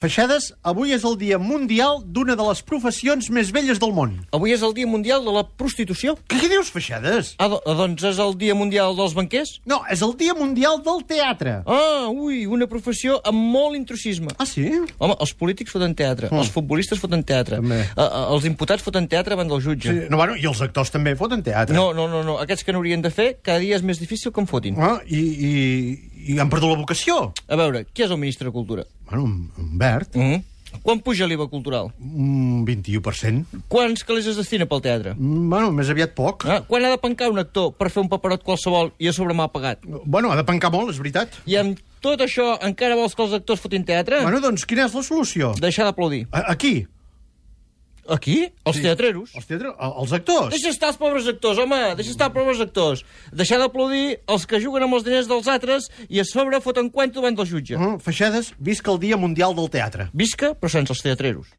Feixedes, avui és el Dia Mundial d'una de les professions més velles del món. Avui és el Dia Mundial de la Prostitució. Què dius, Feixedes? Doncs és el Dia Mundial dels banquers? No, és el Dia Mundial del Teatre. Una professió amb molt intrusisme. Ah, sí? Home, els polítics foten teatre, els futbolistes foten teatre, També. Els imputats foten teatre davant del jutge. Sí. No, bueno, i els actors també foten teatre. No. Aquests que n'haurien de fer, cada dia és més difícil que en fotin. I han perdut la vocació. A veure, qui és el ministre de Cultura? Bueno, un verd. Quan puja l'IVA cultural? Un 21%. Quants calés es destina pel teatre? Bueno, més aviat poc. Quan ha de pencar un actor per fer un paperot qualsevol i a sobre m'ha pagat? Bueno, ha de pencar molt, és veritat. I amb tot això encara vols que els actors fotin teatre? Bueno, doncs, quina és la solució? Deixar d'aplaudir. Aquí? Aquí? Els teatreros? Els actors? Deixa estar els pobres actors, home! Deixa estar els pobres actors. Deixar d'aplaudir els que juguen amb els diners dels altres i a sobre foten cuento davant del jutge. Feixedes, visca el Dia Mundial del Teatre. Visca, però sense els teatreros.